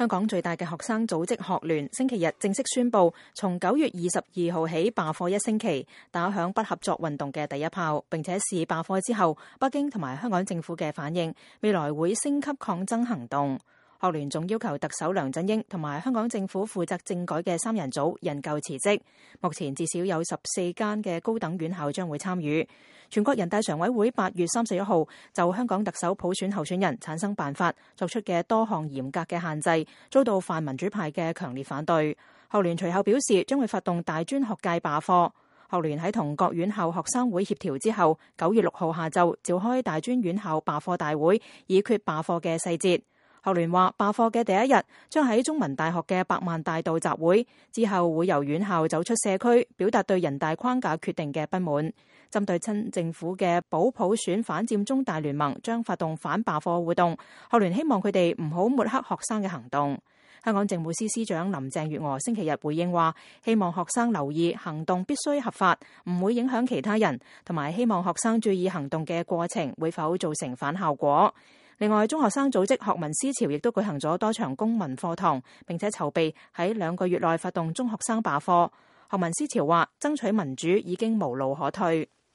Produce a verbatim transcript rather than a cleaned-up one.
香港最大嘅學生組織學聯星期日正式宣布，從九月二十二號起罷課一星期，打響不合作運動嘅第一炮，並且視罷課之後北京同埋香港政府嘅反應，未來會升級抗爭行動。學聯仲要求特首梁振英同埋香港政府負責政改嘅三人組引咎辭職。目前至少有十四間嘅高等院校將會參與。全國人大常委會八月三十一號就香港特首普選候選人產生辦法作出嘅多項嚴格嘅限制，遭到泛民主派嘅強烈反對。學聯隨後表示將會發動大專學界罷課。學聯喺同各院校學生會協調之後，九月六號下晝召開大專院校罷課大會，議決罷課嘅細節。學聯話罷課嘅第一日將喺中文大學嘅百萬大道集會，之後會由院校走出社區，表達對人大框架決定嘅不滿。針對親政府嘅保普選反佔中大聯盟將發動反罷課活動，學聯希望佢哋唔好抹黑學生嘅行動。香港政務司司長林鄭月娥星期日回應話，希望學生留意行動必須合法，唔會影響其他人，同埋希望學生注意行動嘅過程會否造成反效果。另外，中學生組織學民思潮亦都舉行咗多場公民課堂，並且籌備喺兩個月內發動中學生罷課。學民思潮話，爭取民主已經無路可退。